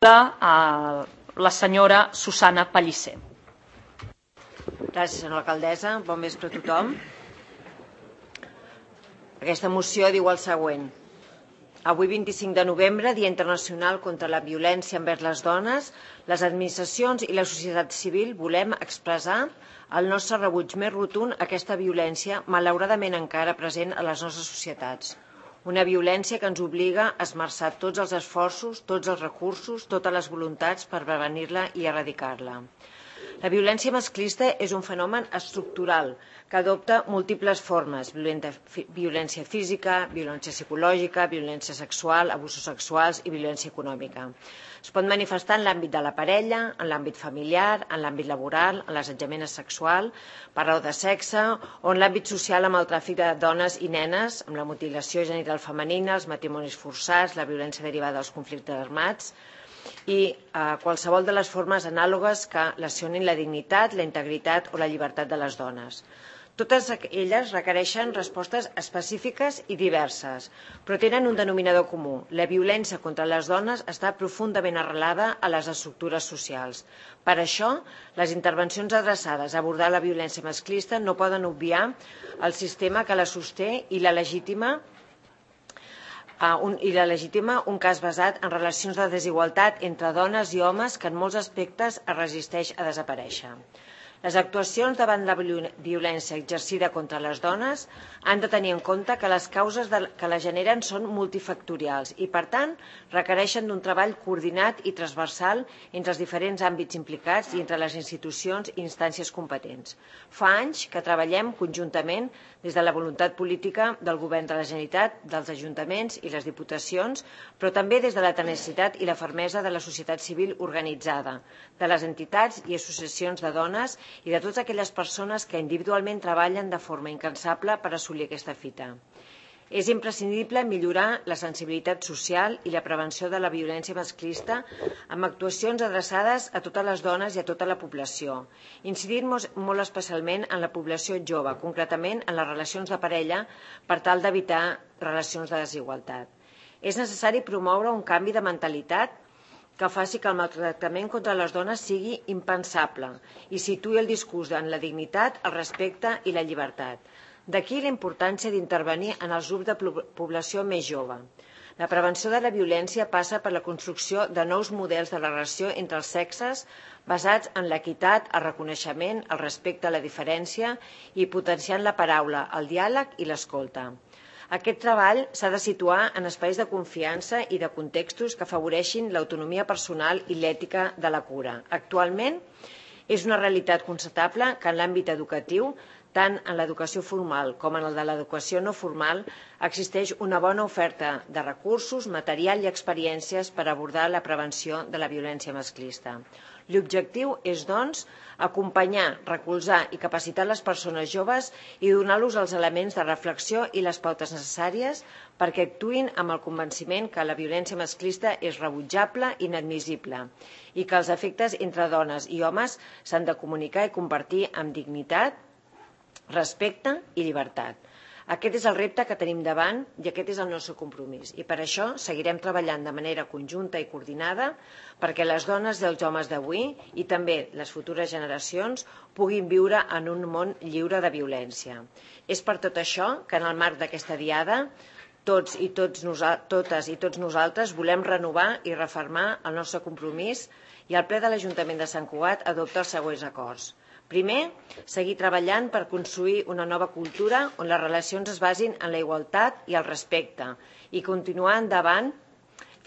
la senyora Susana Pellicer. Gràcies, senyora alcaldessa. Bon vespre a tothom. Aquesta moció diu el següent. Avui, 25 de novembre, Dia Internacional contra la Violència envers les Dones, les administracions i la societat civil volem expressar el nostre rebuig més rotund a aquesta violència malauradament encara present a les nostres societats. Una violència que ens obliga a esmerçar tots els esforços, tots els recursos, totes les voluntats per prevenir-la i erradicar-la. La violència masclista és un fenomen estructural que adopta múltiples formes: violència física, violència psicològica, violència sexual, abusos sexuals i violència econòmica. Es pot manifestar en l'àmbit de la parella, en l'àmbit familiar, en l'àmbit laboral, en l'assetjament sexual, per raó de sexe, o en l'àmbit social amb el tràfic de dones i nenes, amb la mutilació genital femenina, els matrimonis forçats, la violència derivada dels conflictes armats i qualsevol de les formes anàlogues que lesionin la dignitat, la integritat o la llibertat de les dones. Totes elles requereixen respostes específiques i diverses, però tenen un denominador comú. La violència contra les dones està profundament arrelada a les estructures socials. Per això, les intervencions adreçades a abordar la violència masclista no poden obviar el sistema que la sosté i la legitima un cas basat en relacions de desigualtat entre dones i homes que en molts aspectes es resisteix a desaparèixer. Les actuacions davant la violència exercida contra les dones han de tenir en compte que les causes que la generen són multifactorials i, per tant, requereixen d'un treball coordinat i transversal entre els diferents àmbits implicats i entre les institucions i instàncies competents. Fa anys que treballem conjuntament des de la voluntat política del Govern de la Generalitat, dels ajuntaments i les diputacions, però també des de la tenacitat i la fermesa de la societat civil organitzada, de les entitats i associacions de dones i de totes aquelles persones que individualment treballen de forma incansable per assolir aquesta fita. És imprescindible millorar la sensibilitat social i la prevenció de la violència masclista amb actuacions adreçades a totes les dones i a tota la població, incidint molt especialment en la població jove, concretament en les relacions de parella, per tal d'evitar relacions de desigualtat. És necessari promoure un canvi de mentalitat que faci que el maltractament contra les dones sigui impensable i situï el discurs en la dignitat, el respecte i la llibertat. D'aquí la importància d'intervenir en els grups de població més jove. La prevenció de la violència passa per la construcció de nous models de la relació entre els sexes basats en l'equitat, el reconeixement, el respecte a la diferència i potenciant la paraula, el diàleg i l'escolta. Aquest treball s'ha de situar en espais de confiança i de contextos que afavoreixin l'autonomia personal i l'ètica de la cura. Actualment, és una realitat constatable que en l'àmbit educatiu, tant en l'educació formal com en el de l'educació no formal, existeix una bona oferta de recursos, material i experiències per abordar la prevenció de la violència masclista. L'objectiu és, doncs, acompanyar, recolzar i capacitar les persones joves i donar-los els elements de reflexió i les pautes necessàries perquè actuïn amb el convenciment que la violència masclista és rebutjable i inadmissible i que els efectes entre dones i homes s'han de comunicar i compartir amb dignitat, respecte i llibertat. Aquest és el repte que tenim davant i aquest és el nostre compromís. I per això seguirem treballant de manera conjunta i coordinada perquè les dones i els homes d'avui i també les futures generacions puguin viure en un món lliure de violència. És per tot això que en el marc d'aquesta diada totes i tots nosaltres volem renovar i refermar el nostre compromís i el ple de l'Ajuntament de Sant Cugat adopta els següents acords. Primer, seguir treballant per construir una nova cultura on les relacions es basin en la igualtat i el respecte i continuar endavant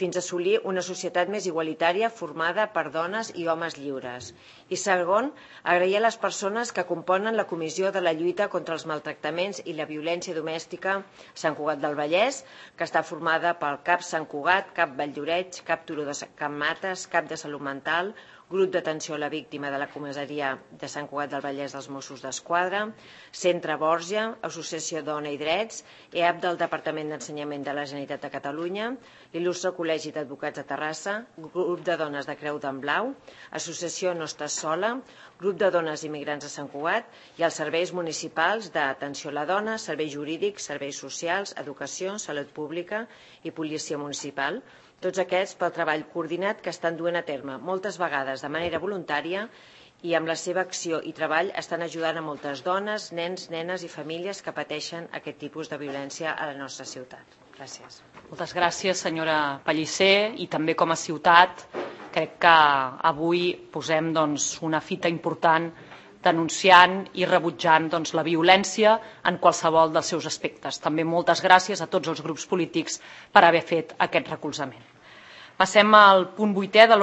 fins a assolir una societat més igualitària formada per dones i homes lliures. I segon, agrair a les persones que componen la Comissió de la Lluita contra els Maltractaments i la Violència Domèstica a Sant Cugat del Vallès, que està formada pel CAP Sant Cugat, CAP Valldoreix, CAP Turó de Can Mates, CAP de Salut Mental, Grup d'Atenció a la Víctima de la Comissaria de Sant Cugat del Vallès dels Mossos d'Esquadra, Centre Borja, Associació Dona i Drets, EAP del Departament d'Ensenyament de la Generalitat de Catalunya, l'Il·lustre Col·legi d'Advocats de Terrassa, Grup de Dones de Creu d'en Blau, Associació No Estàs Sola, Grup de Dones Immigrants de Sant Cugat i els serveis municipals d'Atenció a la Dona, Serveis Jurídics, Serveis Socials, Educació, Salut Pública i Policia Municipal, Tots aquests pel treball coordinat que estan duent a terme, moltes vegades de manera voluntària, i amb la seva acció i treball estan ajudant a moltes dones, nens, nenes i famílies que pateixen aquest tipus de violència a la nostra ciutat. Gràcies. Moltes gràcies, senyora Pellicer, i també com a ciutat crec que avui posem una fita important denunciant i rebutjant la violència en qualsevol dels seus aspectes. També moltes gràcies a tots els grups polítics per haver fet aquest recolzament. Passem al punt 8è de l'ordre